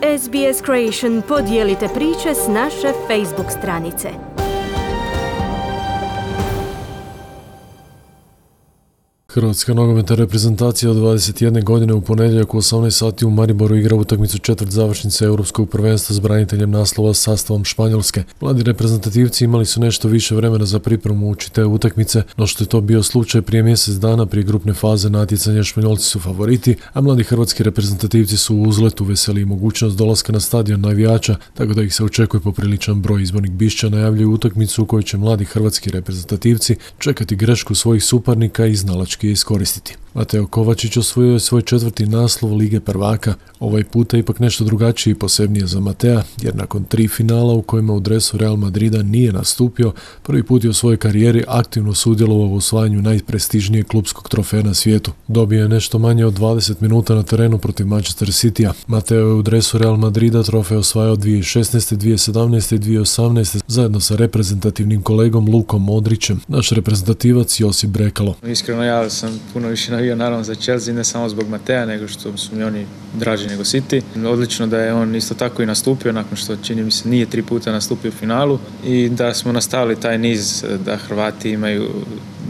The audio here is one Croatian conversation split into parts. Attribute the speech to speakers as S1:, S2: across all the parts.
S1: SBS Creation, podijelite priče s naše Facebook stranice.
S2: Hrvatska nogometna reprezentacija od 21 godine u ponedjeljak u 18 sati u Mariboru igra utakmicu četvrt završnice Europskog prvenstva s braniteljem naslova sastavom Španjolske. Mladi reprezentativci imali su nešto više vremena za pripremu uoči te utakmice, no što je to bio slučaj prije mjesec dana prije grupne faze natjecanja. Španjolci su favoriti, a mladi hrvatski reprezentativci su u uzletu. Veseli mogućnost dolaska na stadion navijača, tako da ih se očekuje popriličan broj. Izbornik Bišća najavljuje utakmicu u kojoj će mladi hrvatski reprezentativci čekati grešku svojih suparnika i znalački iskoristiti. Mateo Kovačić osvojio je svoj četvrti naslov Lige prvaka. Ovaj puta ipak nešto drugačiji i posebnije za Matea, jer nakon 3 finala u kojima u dresu Real Madrida nije nastupio, prvi put je u svojoj karijeri aktivno sudjelovao u osvajanju najprestižnijeg klupskog trofeja na svijetu. Dobio je nešto manje od 20 minuta na terenu protiv Manchester Citya. Mateo je u dresu Real Madrida trofej osvajao 2016., 2017. i 2018. zajedno sa reprezentativnim kolegom Lukom Modrićem. Naš reprezentativac Josip Brekalo.
S3: Iskreno, ja sam puno više navio naravno za Chelsea, ne samo zbog Matea, nego što su mi oni draži nego City. Odlično da je on isto tako i nastupio, nakon što čini mi se nije 3 puta nastupio u finalu, i da smo nastavili taj niz da Hrvati imaju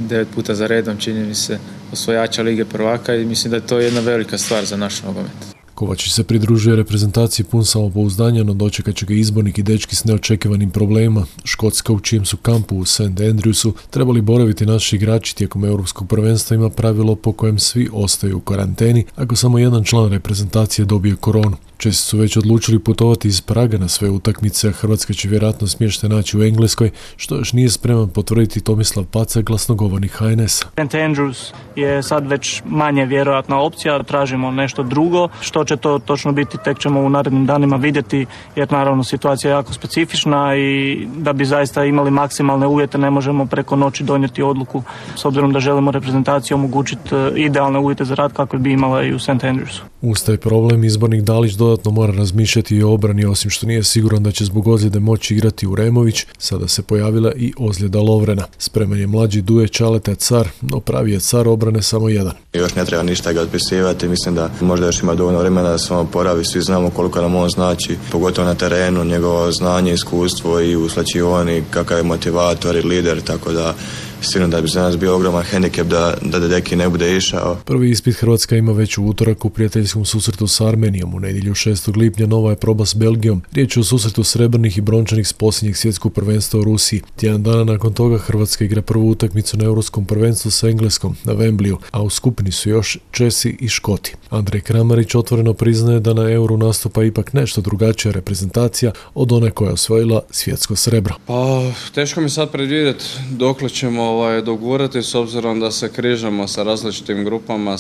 S3: 9 puta za redom, čini mi se, osvojača Lige prvaka, i mislim da je to jedna velika stvar za naš nogomet.
S2: Kovačić se pridružuje reprezentaciji pun samopouzdanja, no dočekat će ga izbornik i dečki s neočekivanim problemima. Škotska, u čijem su kampu u St. Andrewsu trebali boraviti naši igrači tijekom Europskog prvenstva, ima pravilo po kojem svi ostaju u karanteni ako samo jedan član reprezentacije dobije koronu. Česi su već odlučili putovati iz Praga na sve utakmice, a Hrvatska će vjerojatno smještaj naći u Engleskoj, što još nije spreman potvrditi Tomislav Paca, glasnogovornik HNS-a.
S4: St. Andrews je sad već manje vjerojatna opcija, tražimo nešto drugo. Što će to točno biti, tek ćemo u narednim danima vidjeti, jer naravno situacija je jako specifična i da bi zaista imali maksimalne uvjete ne možemo preko noći donijeti odluku, s obzirom da želimo reprezentaciji omogućiti idealne uvjete za rad kakve bi imala i u St. Andrewsu.
S2: Uz taj problem izbornik Dalić dodatno mora razmišljati i o obrani, osim što nije siguran da će zbog ozljede moći igrati Uremović, sada se pojavila i ozljeda Lovrena. Spreman je mlađi Duje Čaleta Car, no pravi je car obrane samo jedan.
S5: Još ne treba ništa ga otpisivati, mislim da možda još ima dovoljno vremena da se on oporavi, svi znamo koliko nam on znači, pogotovo na terenu, njegovo znanje, iskustvo i u slačioni, kakav je motivator i lider, tako da sigurno da bi za nas bio ogroman hendikep da Deki ne bude išao.
S2: Prvi ispit Hrvatska ima već u utorak u prijateljskom susretu s Armenijom. U nedjelju 6. lipnja nova je proba s Belgijom. Riječ je o susretu srebrnih i brončanih s posljednjeg svjetskog prvenstva u Rusiji. Tjedan dana nakon toga Hrvatska igra prvu utakmicu na Europskom prvenstvu s Engleskom na Wembleyu, a u skupini su još Česi i Škoti. Andrej Kramarić otvoreno priznaje da na Euru nastupa ipak nešto drugačija reprezentacija od one koja je osvojila svjetsko srebro.
S6: Pa, teško mi sad predvidjeti dokle ćemo dogurati, s obzirom da se križamo sa različitim grupama,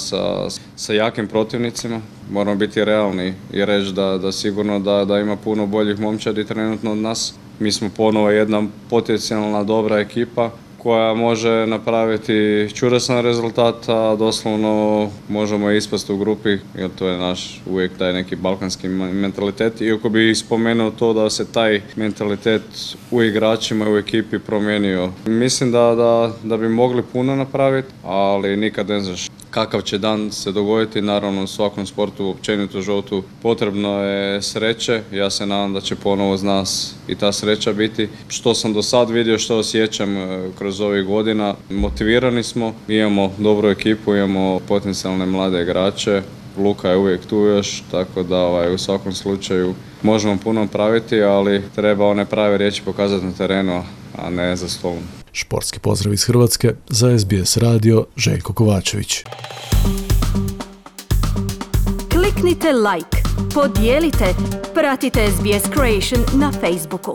S6: sa jakim protivnicima. Moramo biti realni i reći da sigurno da ima puno boljih momčadi trenutno od nas. Mi smo ponovo jedna potencijalna dobra ekipa koja može napraviti čudesan rezultat, a doslovno možemo ispasti u grupi, jer to je naš uvijek taj neki balkanski mentalitet. Iako bi spomenuo to da se taj mentalitet u igračima i u ekipi promijenio. Mislim da bi mogli puno napraviti, ali nikad ne znaš kakav će dan se dogoditi. Naravno, u svakom sportu, općenito životu, potrebno je sreće. Ja se nadam da će ponovo uz nas i ta sreća biti. Što sam do sad vidio, što osjećam kroz ovih godina, motivirani smo, imamo dobru ekipu, imamo potencijalne mlade igrače. Luka je uvijek tu još, tako da u svakom slučaju možemo puno praviti, ali treba one prave riječi pokazati na terenu, a ne za stolom.
S2: Športski pozdrav iz Hrvatske, za SBS radio, Željko Kovačević.
S1: Kliknite like, podijelite, pratite SBS Creation na Facebooku.